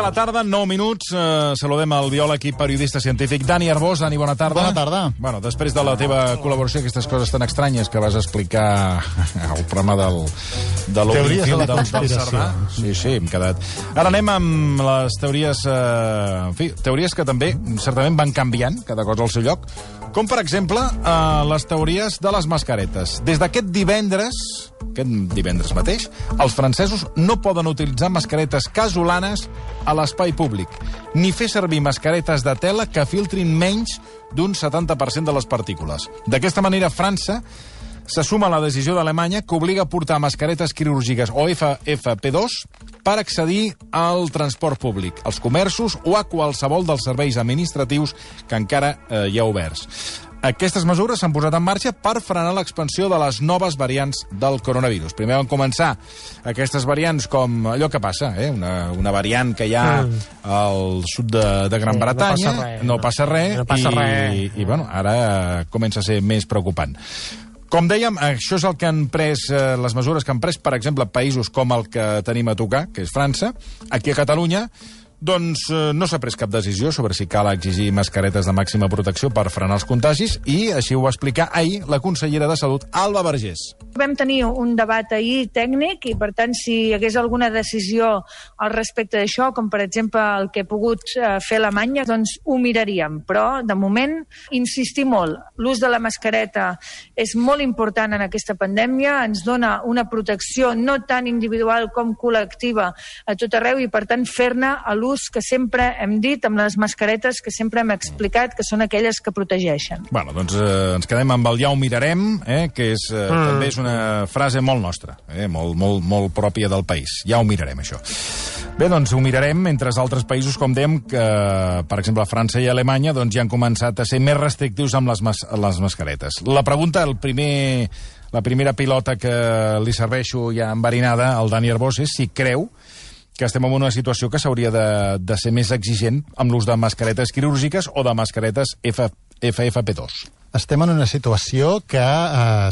de la tarda, 9 minuts. Saludem el biòleg i periodista científic Dani Arbós. Dani, bona tarda. Bona tarda. Bueno, després de la teva col·laboració, aquestes coses tan estranyes que vas explicar al programa de Teories de la del conspiració. Cerdà. Sí, hem quedat. Ara anem amb les teories, en fi, teories que també certament van canviant, cada cosa al seu lloc, com per exemple les teories de les mascaretes. Des d'aquest divendres mateix, els francesos no poden utilitzar mascaretes casolanes a l'espai públic, ni fer servir mascaretes de tela que filtrin menys d'un 70% de les partícules. D'aquesta manera, França se suma a la decisió d'Alemanya que obliga a portar mascaretes quirúrgiques o FFP2 per accedir al transport públic, als comerços o a qualsevol dels serveis administratius que encara hi ha oberts. Aquestes mesures s'han posat en marxa per frenar l'expansió de les noves variants del coronavirus. Primer van començar aquestes variants com allò que passa, una variant que hi ha al sud de Gran Bretanya. No passa res. I bueno, ara comença a ser més preocupant. Com dèiem, això és el que han pres, les mesures que han pres, per exemple, països com el que tenim a tocar, que és França. Aquí a Catalunya, doncs no s'ha pres cap decisió sobre si cal exigir mascaretes de màxima protecció per frenar els contagis i així ho va explicar ahir la consellera de Salut, Alba Vergés. Vam tenir un debat ahir tècnic i, per tant, si hi hagués alguna decisió al respecte d'això, com per exemple el que ha pogut fer Alemanya, doncs ho miraríem. Però, de moment, insistir molt. L'ús de la mascareta és molt important en aquesta pandèmia, ens dona una protecció no tant individual com col·lectiva a tot arreu i, per tant, fer-ne a l'ús que sempre hem dit, amb les mascaretes que sempre hem explicat, que són aquelles que protegeixen. Bueno, doncs ens quedem amb el ja ho mirarem, que és, també és una frase molt nostra, molt pròpia del país. Ja ho mirarem, això. Bé, doncs ho mirarem, mentre altres països, com dèiem, que, per exemple, França i Alemanya, doncs ja han començat a ser més restrictius amb les mascaretes. La pregunta, la primera pilota que li serveixo ja enverinada al Dani Arbós és si creu que estem en una situació que s'hauria de ser més exigent amb l'ús de mascaretes quirúrgiques o de mascaretes FFP2. Estem en una situació que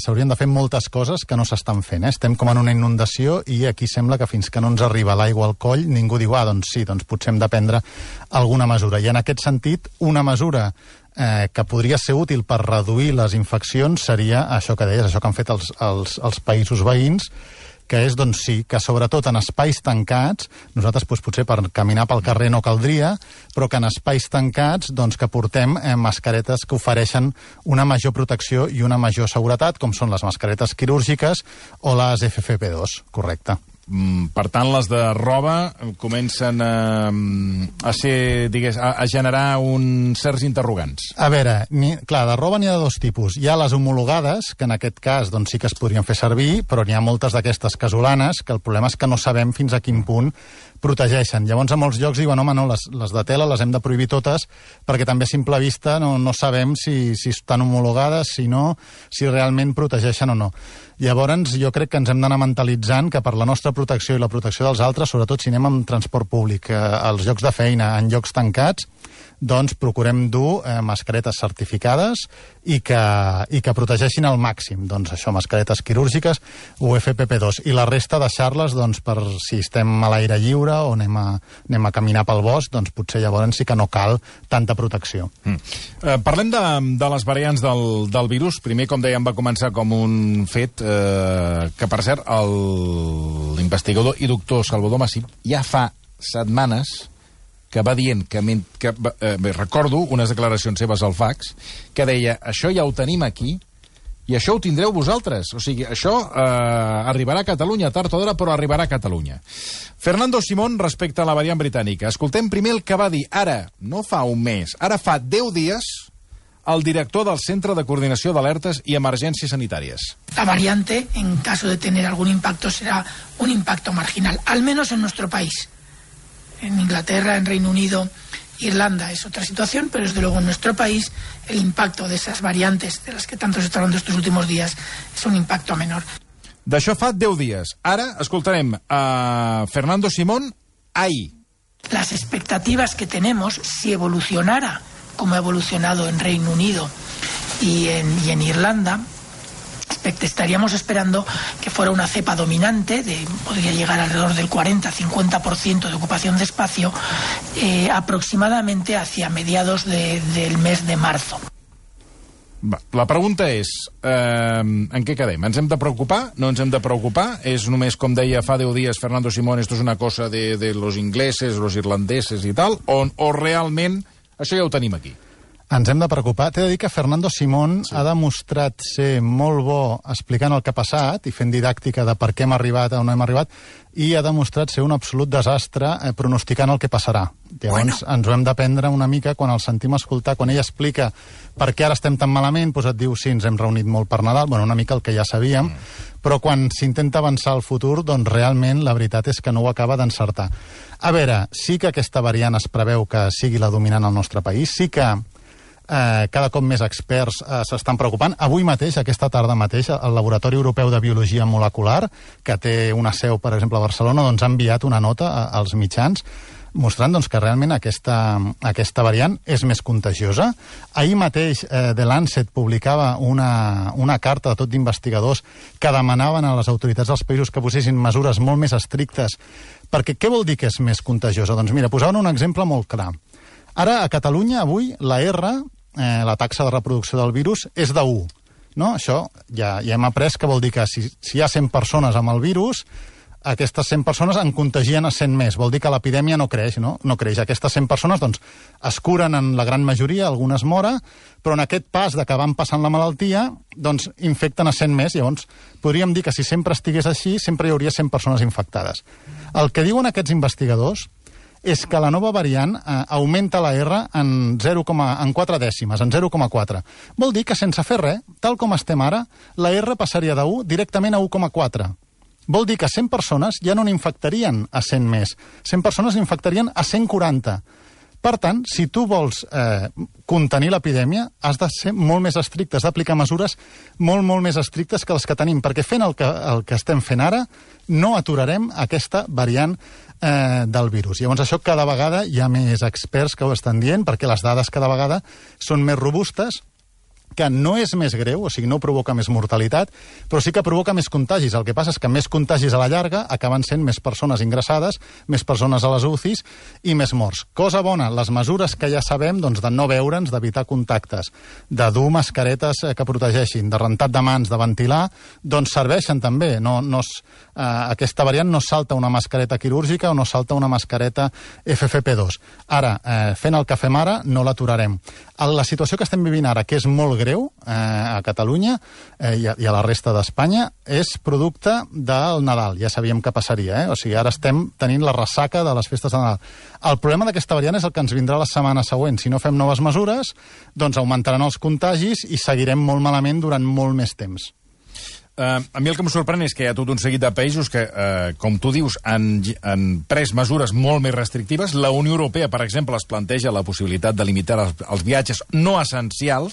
s'haurien de fer moltes coses que no s'estan fent. Estem com en una inundació i aquí sembla que fins que no ens arriba l'aigua al coll ningú diu, doncs sí, doncs potser hem de prendre alguna mesura. I en aquest sentit, una mesura que podria ser útil per reduir les infeccions seria això que deies, això que han fet els països veïns, que és, doncs sí, que sobretot en espais tancats, nosaltres potser per caminar pel carrer no caldria, però que en espais tancats doncs que portem mascaretes que ofereixen una major protecció i una major seguretat, com són les mascaretes quirúrgiques o les FFP2, correcte. Per tant, les de roba comencen a ser, a generar uns certs interrogants. A veure, clar, de roba n'hi ha de dos tipus. Hi ha les homologades, que en aquest cas doncs, sí que es podrien fer servir, però n'hi ha moltes d'aquestes casolanes, que el problema és que no sabem fins a quin punt protegeixen. Llavors, a molts llocs diuen, home, no, les de tela les hem de prohibir totes, perquè també a simple vista no sabem si estan homologades, si realment protegeixen o no. Llavors, jo crec que ens hem d'anar mentalitzant que per la nostra protecció i la protecció dels altres, sobretot si anem amb transport públic, als llocs de feina, en llocs tancats, doncs procurem dur mascaretes certificades i que protegeixin al màxim. Doncs això, mascaretes quirúrgiques o FFP2. I la resta deixar-les, doncs, per si estem a l'aire lliure o anem a caminar pel bosc, doncs potser llavors sí que no cal tanta protecció. Parlem de les variants del virus. Primer, com dèiem, va començar com un fet que, per cert, l'investigador i doctor Salvador Massip ja fa setmanes que va dient que recordo unes declaracions seves al fax, que deia, això ja ho tenim aquí i això ho tindreu vosaltres. O sigui, això arribarà a Catalunya, tard o d'hora, però arribarà a Catalunya. Fernando Simón, respecte a la variant britànica. Escoltem primer el que va dir ara, no fa un mes, ara fa 10 dies, el director del Centre de Coordinació d'Alertes i Emergències Sanitàries. La variante, en caso de tener algún impacto, será un impacto marginal, al menos en nuestro país. En Inglaterra, en Reino Unido, Irlanda es otra situación, pero desde luego en nuestro país el impacto de esas variantes de las que tanto se está hablando estos últimos días es un impacto menor. D'això fa 10 dies. Ara escoltarem a Fernando Simón ahí. Las expectativas que tenemos, si evolucionara como ha evolucionado en Reino Unido y en Irlanda, estaríamos esperando que fuera una cepa dominante, podría llegar alrededor del 40-50% de ocupación de espacio, aproximadamente hacia mediados del mes de marzo. La pregunta és, en què quedem? Ens hem de preocupar? No ens hem de preocupar? És només, com deia fa 10 dies Fernando Simón, esto es una cosa de los ingleses, los irlandeses i tal, o realment això ja ho tenim aquí? Ens hem de preocupar. T'he de dir que Fernando Simón ha demostrat ser molt bo explicant el que ha passat i fent didàctica de per què hem arribat on hem arribat, i ha demostrat ser un absolut desastre pronosticant el que passarà. Llavors ens ho hem d'aprendre una mica quan el sentim escoltar, quan ell explica per què ara estem tan malament, doncs et diu sí, ens hem reunit molt per Nadal, bueno, una mica el que ja sabíem, però quan s'intenta avançar al futur, doncs realment la veritat és que no ho acaba d'encertar. A veure, sí que aquesta variant es preveu que sigui la dominant al nostre país, sí que cada cop més experts s'estan preocupant. Avui mateix, aquesta tarda mateix, el Laboratori Europeu de Biologia Molecular, que té una seu, per exemple, a Barcelona, doncs ha enviat una nota als mitjans mostrant doncs, que realment aquesta variant és més contagiosa. Ahir mateix The Lancet publicava una carta de tot d'investigadors que demanaven a les autoritats dels països que posessin mesures molt més estrictes, perquè què vol dir que és més contagiosa? Doncs mira, posaven un exemple molt clar. Ara, a Catalunya, avui, la R, la taxa de reproducció del virus, és de 1. No? Això ja hem après que vol dir que si hi ha 100 persones amb el virus, aquestes 100 persones en contagien a 100 més. Vol dir que l'epidèmia no creix, no? No creix. Aquestes 100 persones doncs, es curen en la gran majoria, algunes moren, però en aquest pas de que van passant la malaltia, doncs infecten a 100 més. Llavors, podríem dir que si sempre estigués així, sempre hi hauria 100 persones infectades. El que diuen aquests investigadors és que la nova variant augmenta la R en 4 dècimes, en 0,4. Vol dir que sense fer res, tal com estem ara, la R passaria de 1 directament a 1,4. Vol dir que 100 persones ja no n'infectarien a 100 més. 100 persones n'infectarien a 140. Per tant, si tu vols contenir l'epidèmia, has de ser molt més estricte, has d'aplicar mesures molt, molt més estrictes que les que tenim, perquè fent el que estem fent ara, no aturarem aquesta variant del virus. Llavors, això cada vegada hi ha més experts que ho estan dient, perquè les dades cada vegada són més robustes, que no és més greu, o sigui, no provoca més mortalitat, però sí que provoca més contagis. El que passa és que més contagis a la llarga acaben sent més persones ingressades, més persones a les UCIs i més morts. Cosa bona, les mesures que ja sabem, doncs, de no veure'ns, d'evitar contactes, de dur mascaretes que protegeixin, de rentat de mans, de ventilar, doncs serveixen també. Aquesta variant no salta una mascareta quirúrgica o no salta una mascareta FFP2. Ara, fent el que fem ara, no l'aturarem. La situació que estem vivint ara, que és molt greu a Catalunya i a la resta d'Espanya, és producte del Nadal. Ja sabíem que passaria, O sigui, ara estem tenint la ressaca de les festes de Nadal. El problema d'aquesta variant és el que ens vindrà la setmana següent. Si no fem noves mesures, doncs augmentaran els contagis i seguirem molt malament durant molt més temps. A mi el que em sorprèn és que hi ha tot un seguit de països que, com tu dius, han pres mesures molt més restrictives. La Unió Europea, per exemple, es planteja la possibilitat de limitar els viatges no essencials.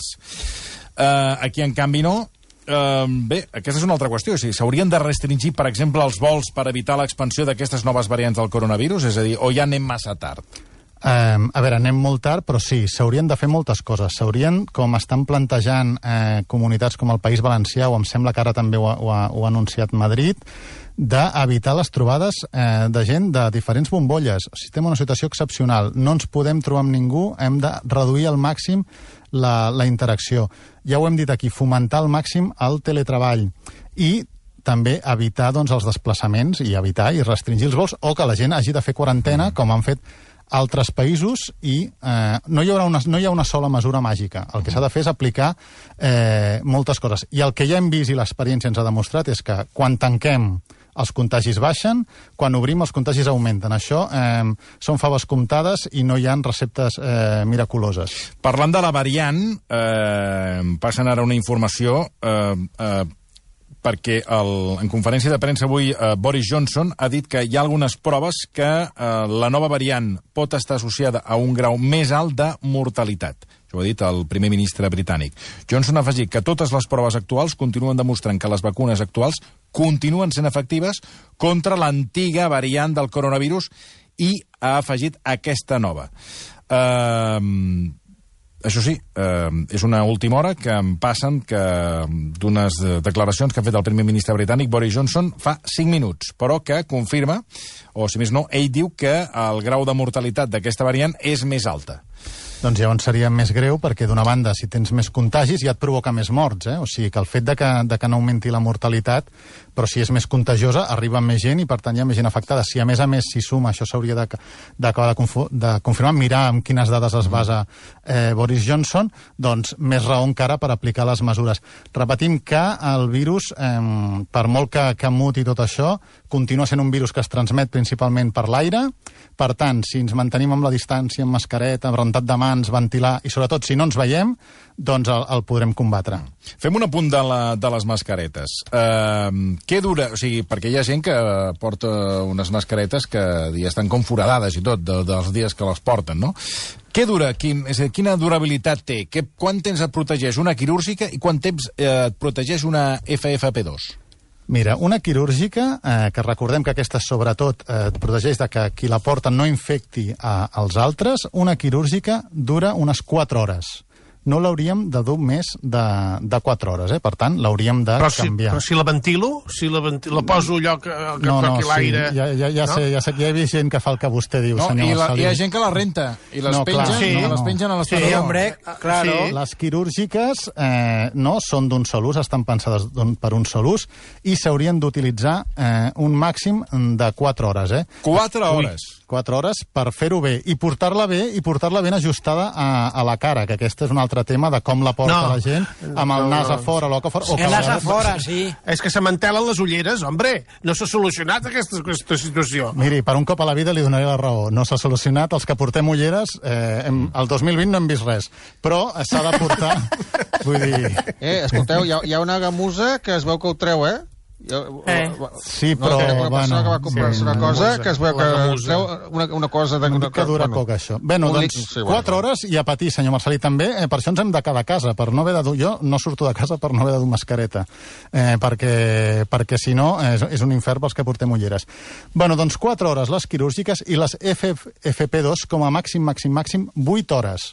Aquí, en canvi, no. Bé, aquesta és una altra qüestió. O sigui, s'haurien de restringir, per exemple, els vols per evitar l'expansió d'aquestes noves variants del coronavirus? És a dir, o ja anem massa tard? A veure, anem molt tard, però sí, s'haurien de fer moltes coses. S'haurien, com estan plantejant comunitats com el País Valencià, o em sembla que ara també ho ha anunciat Madrid, d'evitar les trobades de gent de diferents bombolles. Si estem en una situació excepcional, no ens podem trobar amb ningú, hem de reduir al màxim la interacció. Ja ho hem dit aquí, fomentar al màxim el teletreball i també evitar doncs, els desplaçaments i evitar i restringir els vols, o que la gent hagi de fer quarantena, com han fet altres països, i no hi ha una sola mesura màgica. El que s'ha de fer és aplicar moltes coses. I el que ja hem vist i l'experiència ens ha demostrat és que quan tanquem els contagis baixen, quan obrim els contagis augmenten. Això són faves comptades i no hi ha receptes miraculoses. Parlant de la variant, passen ara una informació perquè en conferència de premsa avui Boris Johnson ha dit que hi ha algunes proves que la nova variant pot estar associada a un grau més alt de mortalitat. Això ho ha dit el primer ministre britànic. Johnson ha afegit que totes les proves actuals continuen demostrant que les vacunes actuals continuen sent efectives contra l'antiga variant del coronavirus i ha afegit aquesta nova. això sí, és una última hora que em passen d'unes declaracions que ha fet el primer ministre britànic Boris Johnson fa 5 minuts, però que confirma, o si més no, ell diu que el grau de mortalitat d'aquesta variant és més alta. Doncs llavors seria més greu perquè, d'una banda, si tens més contagis ja et provoca més morts, O sigui que el fet de que no augmenti la mortalitat, però si és més contagiosa, arriba més gent i, per tant, hi ha més gent afectada. Si, a més, s'hi suma, això s'hauria d'acabar de confirmar, mirar amb quines dades es basa Boris Johnson, doncs més raó encara per aplicar les mesures. Repetim que el virus, per molt que muti tot això, continua sent un virus que es transmet principalment per l'aire. Per tant, si ens mantenim amb la distància, amb mascareta, amb rentat de mans, ventilar, i sobretot si no ens veiem, doncs el podrem combatre. Fem un apunt de les mascaretes. Què dura? O sigui, perquè hi ha gent que porta unes mascaretes que ja estan com foradades i tot, dels dies que les porten, no? Què dura? Quina durabilitat té? Quant temps et protegeix una quirúrgica i quant temps et protegeix una FFP2? Mira, una quirúrgica, que recordem que aquesta sobretot et protegeix de que qui la porta no infecti als altres, una quirúrgica dura unes 4 hores. No l'hauríem de dur més de 4 hores, Per tant, l'hauríem de canviar. Però si la ventilo? Si la poso allò que toqui l'aire... Ja sé, ja he vist gent que fa el que vostè diu, senyor Marcelí. Hi ha gent que la renta i les pengen a l'estrador. Sí, hombre, claro. Les quirúrgiques són d'un sol ús, estan pensades per un sol ús, i s'haurien d'utilitzar un màxim de 4 hores, 4 hores? 4 hores per fer-ho bé, i portar-la ben ajustada a la cara, que aquest és un altre tema de com la porta la gent, amb el nas a fora, l'oca a fora... El nas a fora, sí. És que se mantelen les ulleres, hombre. No s'ha solucionat aquesta situació. Miri, per un cop a la vida li donaré la raó. No s'ha solucionat. Els que portem ulleres, el 2020 no hem vist res. Però s'ha de portar... Vull dir... Escolteu, hi ha una gamusa que es veu que ho treu, Sí, però... Una persona que va comprar-se una cosa que es veu que treu una cosa... Que dura poc, això. Bé, doncs 4 hores i a patir, senyor Marcelí, també. Per això ens hem de quedar a casa, per no haver de dur... Jo no surto de casa per no haver de dur mascareta, perquè si no és un infern pels que portem ulleres. Bé, doncs 4 hores les quirúrgiques i les FFP2 com a màxim 8 hores.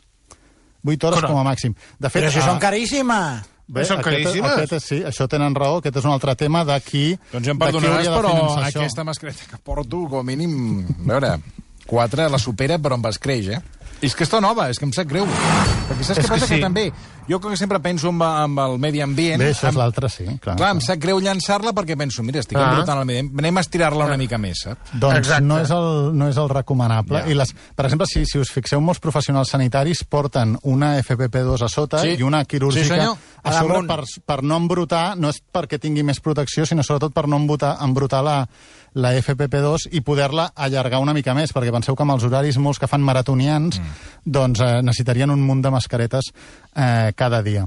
8 hores com a màxim. De fet, però si són caríssimes! Bé, sí, això tenen raó, aquest és un altre tema d'aquí... Doncs ja em perdonaràs, però aquesta mascareta que porto, com a mínim, a veure, 4 la supera, però em escreix, És que està nova, és que em sap greu. Perquè saps què passa? Que també, jo que sempre penso amb el medi ambient... Bé, això és l'altre, sí. Clar, em sap greu llançar-la perquè penso, mira, estic embrutant el medi ambient, anem a estirar-la una mica més, saps? Doncs no és el recomanable. I per exemple, si us fixeu, molts professionals sanitaris porten una FFP2 a sota i una quirúrgica a sobre per no embrutar, no és perquè tingui més protecció, sinó sobretot per no embrutar la FFP2 i poder-la allargar una mica més, perquè penseu que amb els horaris molts que fan maratonians doncs necessitarien un munt de mascaretes cada dia.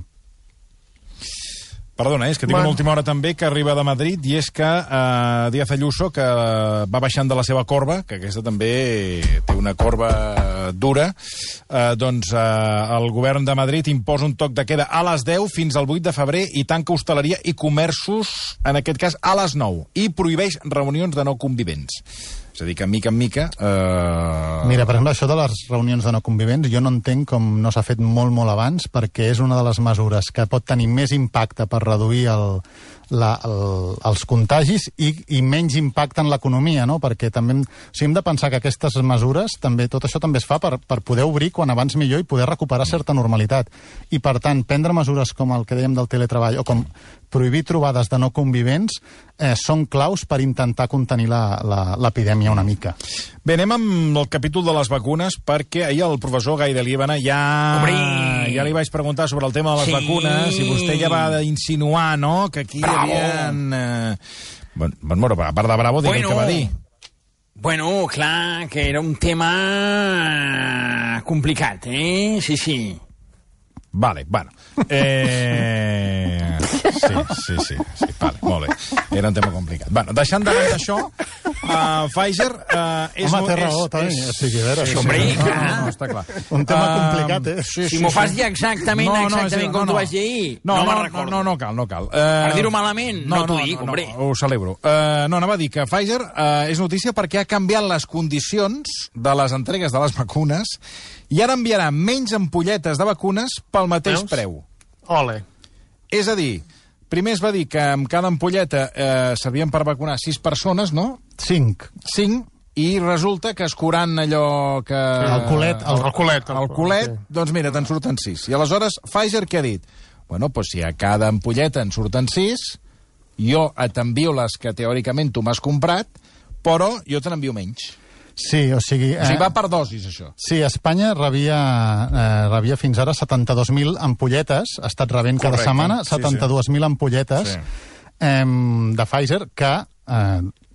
Perdona, és que tinc una última hora també que arriba de Madrid, i és que Díaz Ayuso, que va baixant de la seva corba, que aquesta també té una corba dura, doncs el govern de Madrid imposa un toc de queda a les 10 fins al 8 de febrer i tanca hostaleria i comerços, en aquest cas, a les 9, i prohibeix reunions de no convivents. És a dir, que mica en mica... Mira, per exemple, això de les reunions de no convivents, jo no entenc com no s'ha fet molt abans, perquè és una de les mesures que pot tenir més impacte per reduir els contagis i menys impacte en l'economia, no? Perquè també hem de pensar que aquestes mesures, tot això també es fa per poder obrir quan abans millor i poder recuperar certa normalitat. I, per tant, prendre mesures com el que dèiem del teletreball o com prohibir trobades de no convivents són claus per intentar contenir l'epidèmia una mica. Bé, anem amb el capítol de les vacunes, perquè ahir el professor Gai de Líbana ja li vaig preguntar sobre el tema de les vacunes i vostè ja va insinuar, no?, que aquí hi havia... Bueno, a part de bravo, diguem què va dir. Bueno, clar, que era un tema complicat, Sí. Vale, bueno. Sí, vale, molt bé. Era un tema complicat. Bueno, deixant de banda això, Pfizer és... Home, té raó, Toni. O sigui, a veure... Hombre, clar. No, està clar. Un tema complicat, eh? Si m'ho fas dir exactament com t'ho vaig dir ahir, no me'n recordo. No cal. Per dir-ho malament, no t'ho dic, hombre. Ho celebro. No, anava a dir que Pfizer és notícia perquè ha canviat les condicions de les entregues de les vacunes i ara enviarà menys ampolletes de vacunes pel mateix preu. Ole. És a dir, primer es va dir que amb cada ampolleta servien per vacunar 6 persones, no? 5. 5, i resulta que escurant allò que... El culet. El culet, doncs mira, te'n surten 6. I aleshores, Pfizer què ha dit? Bueno, doncs si a cada ampolleta en surten 6, jo t'envio les que teòricament tu m'has comprat, però jo te n'envio menys. Sí, o sigui... O sigui, va per dosis, això. Sí, Espanya rebia fins ara 72.000 ampolletes, ha estat rebent cada setmana 72.000 ampolletes de Pfizer, que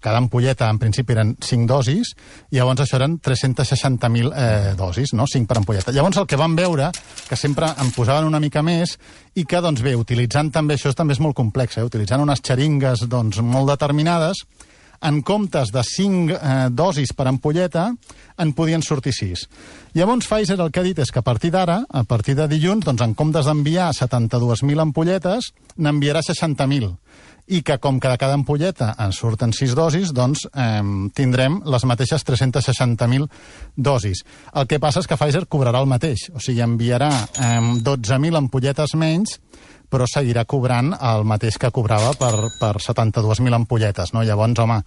cada ampolleta en principi eren 5 dosis, i llavors això eren 360.000 dosis, no? 5 per ampolleta. Llavors el que vam veure, que sempre en posaven una mica més, i que, doncs bé, utilitzant també, això també és molt complex, utilitzant unes xeringues doncs, molt determinades, en comptes de 5 dosis per ampolleta, en podien sortir 6. Llavors, Pfizer el que ha dit és que a partir d'ara, a partir de dilluns, doncs, en comptes d'enviar 72.000 ampolletes, n'enviarà 60.000. I que, com que de cada ampolleta en surten 6 dosis, doncs tindrem les mateixes 360.000 dosis. El que passa és que Pfizer cobrarà el mateix, o sigui, enviarà 12.000 ampolletes menys, però seguirà cobrant el mateix que cobrava per 72.000 ampolletes, no? Llavors, home,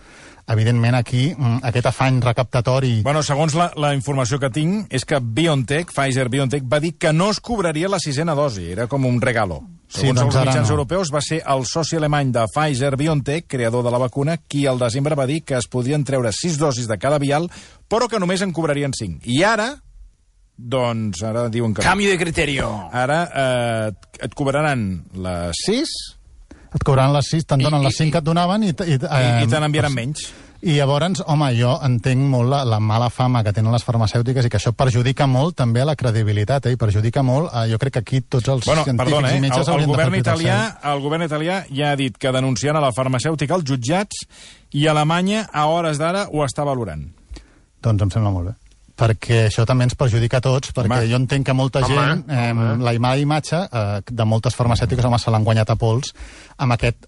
evidentment aquí aquest afany recaptatori... Bueno, segons la informació que tinc, és que Pfizer-BioNTech va dir que no es cobraria la 6a dosi, era com un regalo. Segons els mitjans europeus, va ser el soci alemany de Pfizer-BioNTech, creador de la vacuna, qui al desembre va dir que es podien treure 6 dosis de cada vial, però que només en cobrarien 5. I ara... Doncs ara diuen que... Canvi de criteri. Ara et cobraran les 6... Et cobraran les 6, te'n donen les 5 que et donaven i te n'enviaran menys. I llavors, home, jo entenc molt la mala fama que tenen les farmacèutiques i que això perjudica molt també a la credibilitat, i perjudica molt, jo crec que aquí tots els científics i metges haurien de fer el govern italià ja ha dit que denunciant a la farmacèutica als jutjats, i Alemanya a hores d'ara ho està valorant. Doncs em sembla molt bé, perquè això també ens perjudica a tots, perquè jo entenc que molta gent, la mala imatge de moltes farmacèutiques, home, se l'han guanyat a pols amb aquest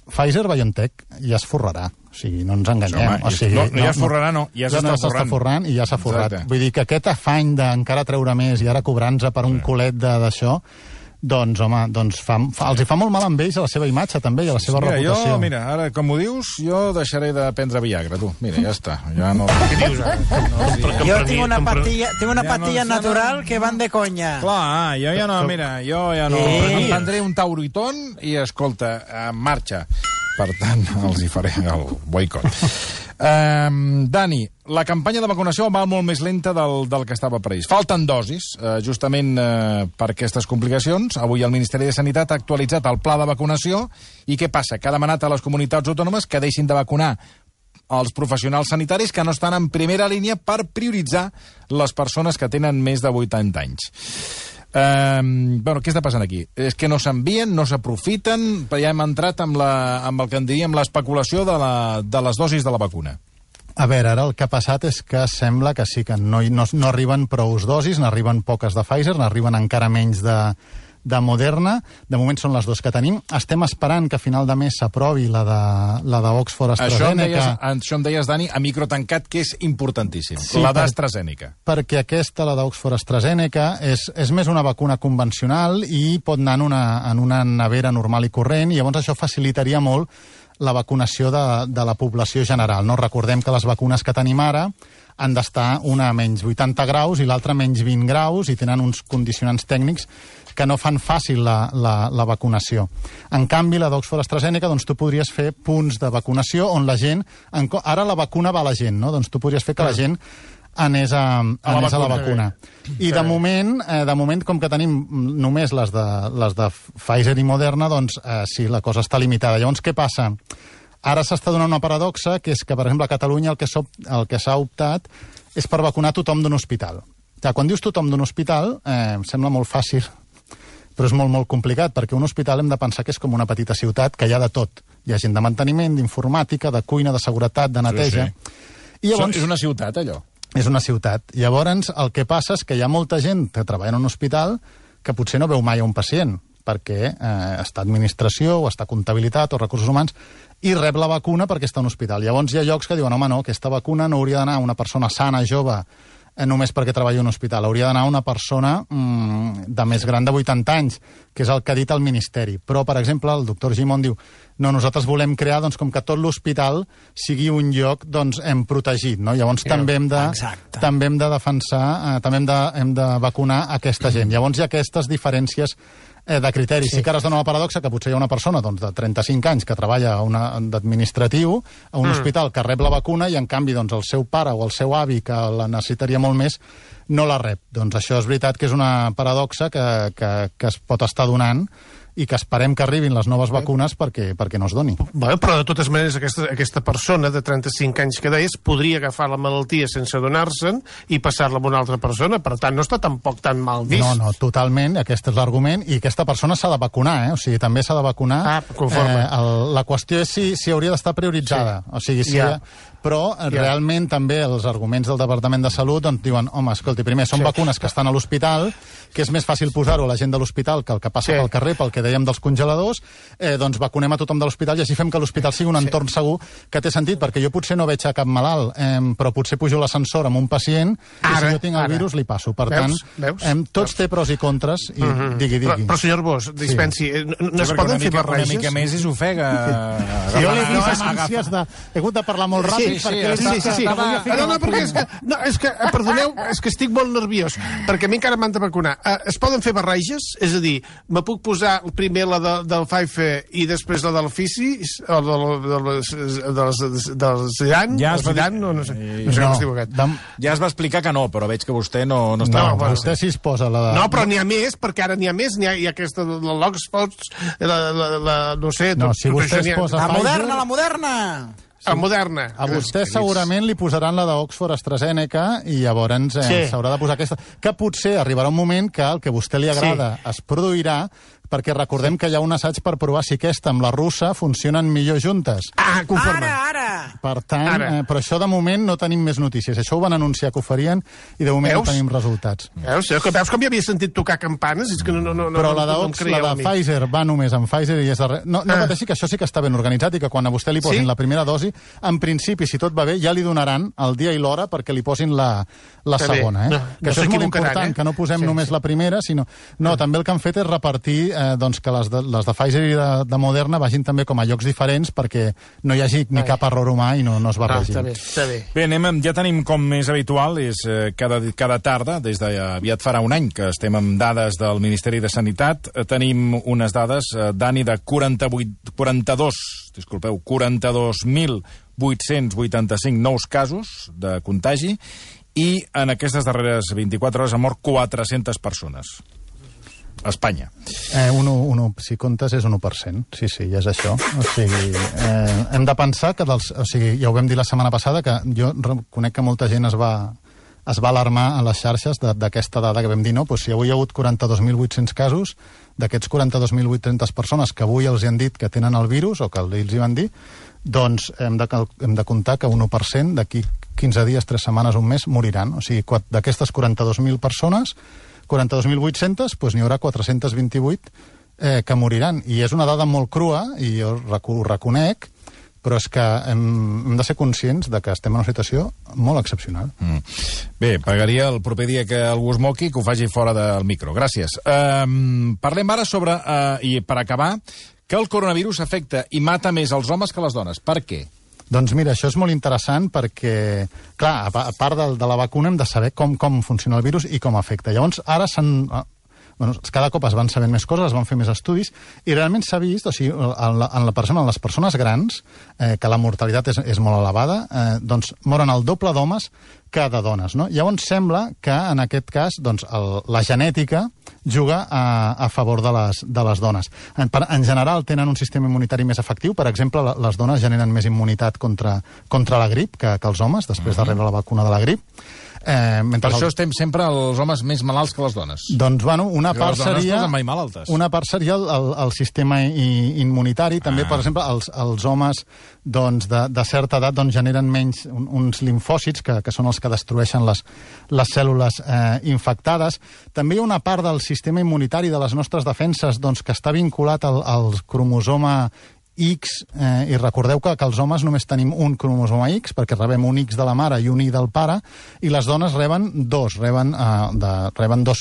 Pfizer-BioNTech, ja es forrarà. O sigui, no ens enganyem. Ja es forrarà, no, ja s'està forrant. I ja s'ha forrat. Vull dir que aquest afany d'encara treure més i ara cobrant-se per un culet d'això, doncs, home, els hi fa molt mal amb ells a la seva imatge, també, i a la seva reputació. Mira, ara, com ho dius, jo deixaré de prendre Viagra, tu. Mira, ja està. Ja no... Què dius, ara? Jo tinc una patilla natural que van de conya. Clar, jo ja no, mira, jo ja no... Em prendré un Tauritón i, escolta, en marxa. Per tant, els hi faré el boicot. Dani, la campanya de vacunació va molt més lenta del que estava previst. Falten dosis, justament per aquestes complicacions. Avui el Ministeri de Sanitat ha actualitzat el pla de vacunació. I què passa? Que ha demanat a les comunitats autònomes que deixin de vacunar els professionals sanitaris que no estan en primera línia per prioritzar les persones que tenen més de 80 anys. Bueno, què està passant aquí? És que no s'envien, no s'aprofiten, ja hem entrat amb el que en diríem l'especulació de les dosis de la vacuna. A veure, ara el que ha passat és que sembla que sí, que no arriben prous dosis, n'arriben poques de Pfizer, n'arriben encara menys de Moderna. De moment són les 2 que tenim. Estem esperant que a final de mes s'aprovi la d'Oxford-AstraZeneca. Això em deies, Dani, a micro tancat, que és importantíssim. Sí, la d'AstraZeneca. Perquè aquesta, la d'Oxford-AstraZeneca, és més una vacuna convencional i pot anar en una nevera normal i corrent, i llavors això facilitaria molt la vacunació de la població general. No? Recordem que les vacunes que tenim ara han d'estar una a menys 80 graus i l'altra a menys 20 graus i tenen uns condicionants tècnics que no fan fàcil la vacunació. En canvi, la d'Oxford-AstraZeneca, doncs tu podries fer punts de vacunació on la gent... Ara la vacuna va a la gent, no? Doncs tu podries fer que la gent anés a la vacuna. I de moment, com que tenim només les de Pfizer i Moderna, doncs sí, la cosa està limitada. Llavors, què passa? Ara s'està donant una paradoxa, que és que, per exemple, a Catalunya el que s'ha optat és per vacunar tothom d'un hospital. Quan dius tothom d'un hospital, em sembla molt fàcil, però és molt, molt complicat, perquè un hospital hem de pensar que és com una petita ciutat, que hi ha de tot. hi ha gent de manteniment, d'informàtica, de cuina, de seguretat, de neteja... I llavors... És una ciutat, allò? És una ciutat. Llavors, el que passa és que hi ha molta gent que treballa en un hospital que potser no veu mai a un pacient, perquè està administració, o està comptabilitat, o recursos humans, i rep la vacuna perquè està a un hospital. Llavors hi ha llocs que diuen, home, no, aquesta vacuna no hauria d'anar a una persona sana, jove, només perquè treballa en un hospital. Hauria d'anar a una persona de més gran de 80 anys, que és el que ha dit el Ministeri. Però, per exemple, el doctor Gimón diu no, nosaltres volem crear, doncs, com que tot l'hospital sigui un lloc, doncs, protegit, no? Llavors també hem de defensar, també hem de vacunar aquesta gent. Llavors hi ha aquestes diferències de criteris. Sí que ara es dona la paradoxa que potser hi ha una persona doncs, de 35 anys que treballa d'administratiu a un hospital que rep la vacuna i, en canvi, doncs, el seu pare o el seu avi, que la necessitaria molt més, no la rep. Doncs això és veritat que és una paradoxa que es pot estar donant i que esperem que arribin les noves vacunes perquè no es doni. Bé, però de totes maneres aquesta persona de 35 anys que deies podria agafar la malaltia sense adonar-se'n i passar-la a una altra persona, per tant no està tampoc tan mal vist. No, totalment, aquest és l'argument, i aquesta persona s'ha de vacunar, o sigui, també s'ha de vacunar. Conforme. La qüestió és si hauria d'estar prioritzada, o sigui, però realment també els arguments del Departament de Salut doncs, diuen, home, escolti, primer, són vacunes que estan a l'hospital, que és més fàcil posar-ho a la gent de l'hospital que el que passa pel carrer, pel que dèiem dels congeladors, doncs vacunem a tothom de l'hospital i així fem que l'hospital sigui un entorn segur, que té sentit, perquè jo potser no veig a cap malalt, però potser pujo l'ascensor amb un pacient i si jo tinc el virus li passo. Per tant, tots té pros i contres i digui. Però senyor Bosch, dispensi, no es poden fer barreges? Una mica més i s'ofega. Jo l'he vist amb ànsies he hagut de parlar molt ràpid Sí. No, perquè és que, perdoneu, és que estic molt nerviós, perquè a mi encara m'han de vacunar. Es poden fer barreges? És a dir, me puc posar primer la del Pfizer i després la del Pfizer, o del Zidane? Ja es va explicar que no, però veig que vostè no està... No, vostè sí es posa la de... No, però n'hi ha més, perquè ara n'hi ha més. N'hi ha aquesta, l'Oxford, no sé... No, si vostè es posa Pfizer... La Moderna! A Moderna. A vostè segurament li posaran la d'Oxford AstraZeneca i llavors s'haurà de posar aquesta. Que potser arribarà un moment que el que a vostè li agrada es produirà, perquè recordem que hi ha un assaig per provar si aquesta amb la russa funcionen millor juntes. Conforme. Ara! Per tant, però això de moment no tenim més notícies. Això ho van anunciar que ho farien i de moment no tenim resultats. Veus com ja havia sentit tocar campanes? És que però la de Pfizer va només amb Pfizer i és darrere... No pateixi, que això sí que està ben organitzat i que quan a vostè li posin la primera dosi, en principi, si tot va bé, ja li donaran el dia i l'hora perquè li posin la segona. Que això és molt important, que no posem només la primera, sinó... No, també el que han fet és repartir que les de Pfizer i de Moderna vagin també com a llocs diferents perquè no hi hagi ni cap error humà i no es barregin. Està bé. Bé, ja tenim com més habitual, és cada tarda, des d'aviat farà un any que estem amb dades del Ministeri de Sanitat, tenim unes dades, Dani, de 42.885 nous casos de contagi i en aquestes darreres 24 hores han mort 400 persones. A Espanya. Si comptes és 1%. Sí, ja és això. O sigui, hem de pensar que ja ho vam dir la setmana passada, que jo reconec que molta gent es va alarmar a les xarxes d'aquesta dada que vam dir, no? Si avui hi ha hagut 42.800 casos, d'aquests 42.800 persones que avui els han dit que tenen el virus, o que ells hi van dir, doncs hem de comptar que 1% d'aquí 15 dies, 3 setmanes, un mes, moriran. O sigui, d'aquestes 42.000 persones, 42.800, doncs n'hi haurà 428 que moriran. I és una dada molt crua, i jo ho reconec, però és que hem de ser conscients de que estem en una situació molt excepcional. Bé, pagaria el proper dia que algú es moqui que ho faci fora del micro. Gràcies. Parlem ara sobre, i per acabar, que el coronavirus afecta i mata més els homes que les dones. Per què? Doncs mira, això és molt interessant perquè, clar, a part de la vacuna hem de saber com funciona el virus i com afecta. Llavors, ara cada cop es van sabent més coses, es van fer més estudis, i realment s'ha vist, o sigui, en les persones grans, que la mortalitat és molt elevada, doncs moren el doble d'homes que de dones, no? Llavors sembla que, en aquest cas, doncs, la genètica juga a favor de les dones. En general tenen un sistema immunitari més efectiu, per exemple, les dones generen més immunitat contra la grip que els homes, després de rebre la vacuna de la grip. Per això estem sempre els homes més malalts que les dones. Doncs, bueno, una part seria el el sistema immunitari. També, per exemple, els homes doncs, de certa edat doncs, generen menys uns limfòcits, que són els que destrueixen les cèl·lules infectades. També hi ha una part del sistema immunitari de les nostres defenses doncs, que està vinculat al cromosoma X, i recordeu que els homes només tenim un cromosoma X, perquè rebem un X de la mare i un Y del pare, i les dones reben dos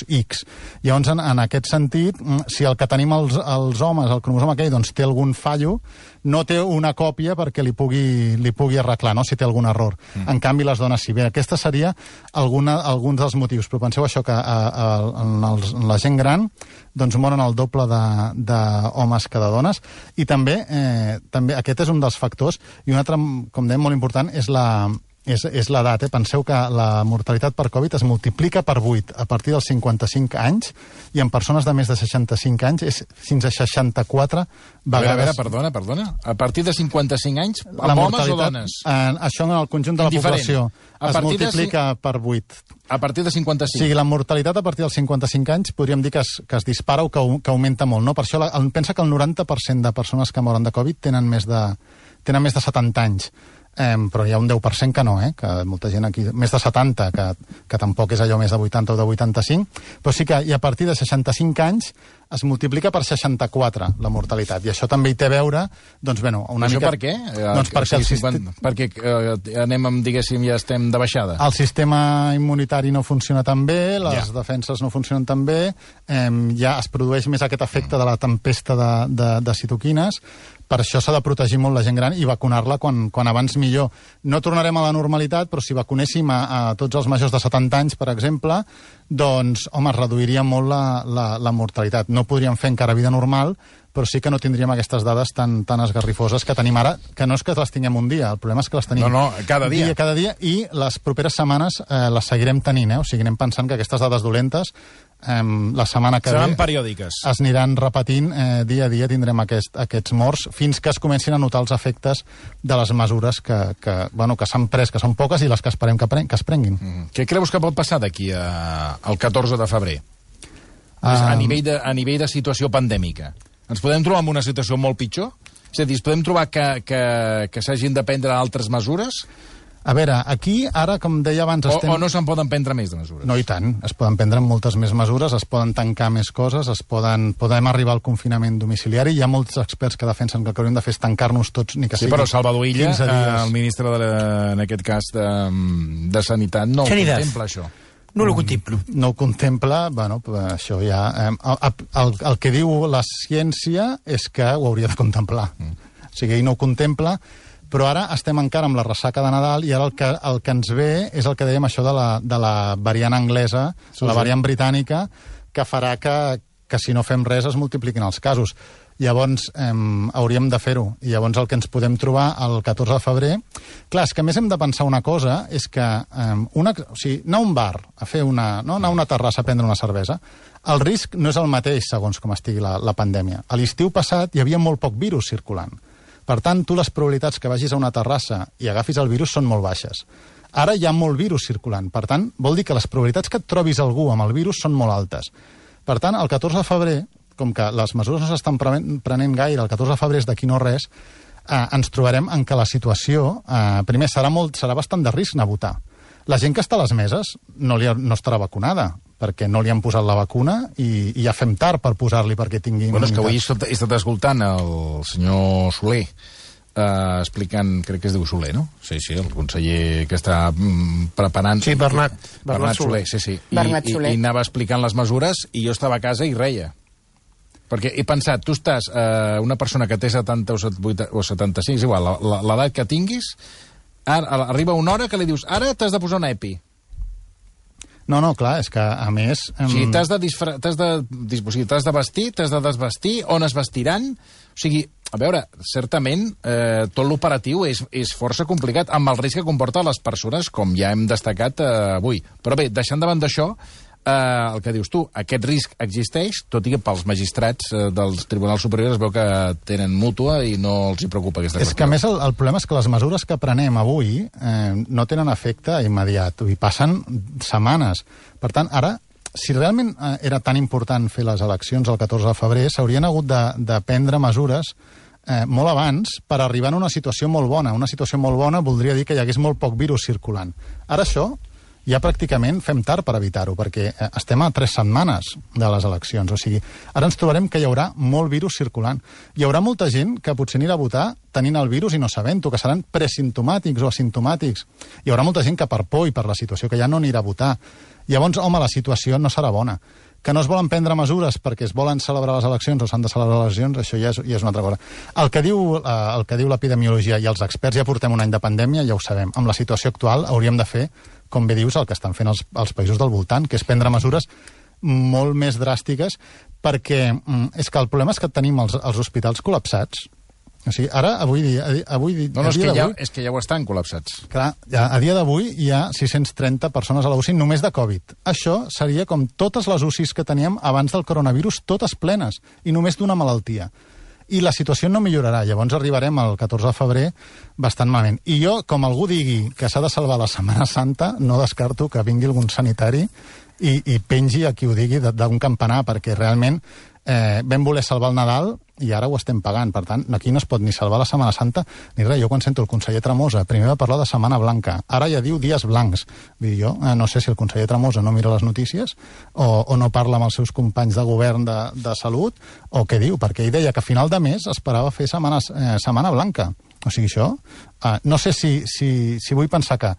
X. Llavors, en aquest sentit, si el que tenim els homes, el cromosoma aquell, doncs té algun fallo, no té una còpia perquè li pugui arreglar, no? Si té algun error. En canvi, les dones sí. Bé, aquesta seria alguns dels motius, però penseu això, que en la gent gran doncs moren el doble d'homes que de dones, i també aquest és un dels factors, i un altre, com dèiem, molt important, és l'edat. Penseu que la mortalitat per Covid es multiplica per 8 a partir dels 55 anys, i en persones de més de 65 anys és fins a 64 vegades. A veure, perdona. A partir de 55 anys, amb homes o dones? Això en el conjunt de la població es multiplica per 8. A partir de 55. O sigui, la mortalitat a partir dels 55 anys podríem dir que es dispara o que augmenta molt, no? Per això pensa que el 90% de persones que moren de Covid tenen més de 70 anys. Però hi ha un 10% que no, que molta gent aquí, més de 70, que tampoc és allò més de 80 o de 85, però sí que a partir de 65 anys es multiplica per 64 la mortalitat, i això també hi té a veure, doncs, bueno, una mica... Això per què? Doncs perquè anem, diguéssim, ja estem de baixada. El sistema immunitari no funciona tan bé, les defenses no funcionen tan bé, ja es produeix més aquest efecte de la tempesta de citoquines. Per això s'ha de protegir molt la gent gran i vacunar-la quan abans millor. No tornarem a la normalitat, però si vacunéssim a tots els majors de 70 anys, per exemple, doncs, home, es reduiria molt la mortalitat. No podríem fer encara vida normal, però sí que no tindríem aquestes dades tan esgarrifoses que tenim ara, que no és que les tinguem un dia, el problema és que les tenim cada dia. Cada dia, i les properes setmanes les seguirem tenint, o sigui, anem pensant que aquestes dades dolentes la setmana que seran periòdiques. Es aniran repetint dia a dia, tindrem aquests morts, fins que es comencin a notar els efectes de les mesures que s'han pres, que són poques, i les que esperem que es prenguin. Què creus que pot passar d'aquí al 14 de febrer? A nivell de situació pandèmica. Ens podem trobar en una situació molt pitjor? És a dir, ens podem trobar que s'hagin de prendre altres mesures? A veure, aquí, ara, com deia abans... O no se'n poden prendre més de mesures? No, i tant. Es poden prendre moltes més mesures, es poden tancar més coses, podem arribar al confinament domiciliari. Hi ha molts experts que defensen que el que hauríem de fer és tancar-nos tots, ni que sigui 15 dies. Sí, però Salvador Illa, el ministre, en aquest cas, de Sanitat, no ho contempla, això. No ho contemplo. No ho contempla, bueno, això ja... El que diu la ciència és que ho hauria de contemplar. O sigui, ell no ho contempla, però ara estem encara amb la ressaca de Nadal, i ara el que ens ve és el que dèiem, això de la variant anglesa, la variant britànica, que farà que si no fem res es multipliquin els casos. Llavors hauríem de fer-ho, i llavors el que ens podem trobar el 14 de febrer... Clar, és que a més hem de pensar una cosa, és que anar a un bar, anar a una terrassa a prendre una cervesa, el risc no és el mateix segons com estigui la pandèmia. A l'estiu passat hi havia molt poc virus circulant. Per tant, tu les probabilitats que vagis a una terrassa i agafis el virus són molt baixes. Ara hi ha molt virus circulant. Per tant, vol dir que les probabilitats que et trobis algú amb el virus són molt altes. Per tant, el 14 de febrer, com que les mesures no s'estan prenent gaire, el 14 de febrer és d'aquí no res, ens trobarem en què la situació, primer, serà bastant de risc anar a votar. La gent que està a les meses no estarà vacunada, perquè no li han posat la vacuna i ja fem tard per posar-li perquè tingui immunitat. Bueno, és que avui he estat escoltant el senyor Soler explicant, crec que es diu Soler, no? Sí, el conseller que està preparant... Sí, Bernat Soler. Sí. I anava explicant les mesures i jo estava a casa i reia. Perquè he pensat, tu estàs una persona que té 70 o 75, és igual, l'edat que tinguis, arriba una hora que li dius, ara t'has de posar un EPI. No, clar, és que, a més... O sigui, t'has de vestir, t'has de desvestir, on es vestiran... O sigui, a veure, certament, tot l'operatiu és força complicat, amb el risc que comporta les persones, com ja hem destacat avui. Però bé, deixant davant d'això, el que dius tu, aquest risc existeix, tot i que pels magistrats dels tribunals superiors es veu que tenen mútua i no els hi preocupa aquesta qüestió. És que, a més, el problema és que les mesures que prenem avui no tenen efecte immediat, i passen setmanes. Per tant, ara, si realment era tan important fer les eleccions el 14 de febrer, s'haurien hagut de prendre mesures molt abans per arribar a una situació molt bona. Una situació molt bona voldria dir que hi hagués molt poc virus circulant. Ara això ja pràcticament fem tard per evitar-ho, perquè estem a 3 setmanes de les eleccions. O sigui, ara ens trobarem que hi haurà molt virus circulant. Hi haurà molta gent que potser anirà a votar tenint el virus i no sabent-ho, que seran presimptomàtics o asimptomàtics. Hi haurà molta gent que per por i per la situació que ja no anirà a votar. Llavors, home, la situació no serà bona. Que no es volen prendre mesures perquè es volen celebrar les eleccions o s'han de celebrar les eleccions, això ja és una altra cosa. El que diu l'epidemiologia i els experts, ja portem un any de pandèmia, ja ho sabem. Amb la situació actual hauríem de fer, com bé dius, el que estan fent els països del voltant, que és prendre mesures molt més dràstiques, perquè és que el problema és que tenim els hospitals col·lapsats. O sigui, ara, avui dia... No, és que ja ho estan col·lapsats. Clar, a dia d'avui hi ha 630 persones a la UCI només de Covid. Això seria com totes les UCIs que teníem abans del coronavirus, totes plenes, i només d'una malaltia. I la situació no millorarà. Llavors arribarem al 14 de febrer bastant malament. I jo, com algú digui que s'ha de salvar la Setmana Santa, no descarto que vingui algun sanitari i pengi a qui ho digui d'un campanar, perquè realment vam voler salvar el Nadal i ara ho estem pagant. Per tant, aquí no es pot ni salvar la Setmana Santa ni res. Jo quan sento el conseller Tremosa, primer va parlar de Setmana Blanca, ara ja diu dies blancs. Vull dir, jo no sé si el conseller Tremosa no mira les notícies o no parla amb els seus companys de govern de salut, o què diu, perquè ell deia que a final de mes esperava fer Setmana Blanca. O sigui, això, no sé si vull pensar que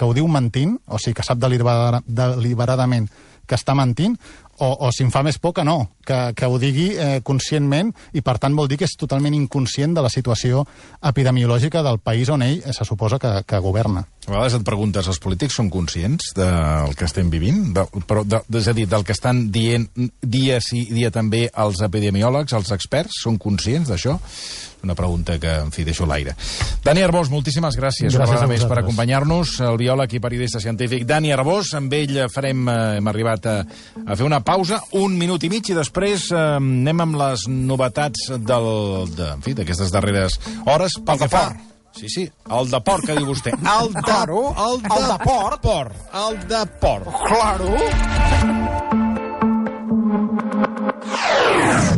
ho diu mentint, o sigui, que sap deliberadament que està mentint, o si em fa més por que no, que ho digui conscientment, i per tant vol dir que és totalment inconscient de la situació epidemiològica del país on ell se suposa que governa. A vegades et preguntes, els polítics són conscients del que estem vivint? És a dir, del que estan dient dia sí, dia també els epidemiòlegs, els experts, són conscients d'això? Una pregunta que, en fi, deixo a l'aire. Dani Arbós, moltíssimes gràcies una vegada més per acompanyar-nos, el biòleg i periodista científic Dani Arbós. Amb ell hem arribat a fer una pausa, 1 minut i mig, i després anem amb les novetats d'aquestes darreres hores. Pel que fa... Sí, el de port, que diu vostè. El de port. El de port. Claro.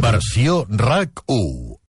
Versió RAC 1.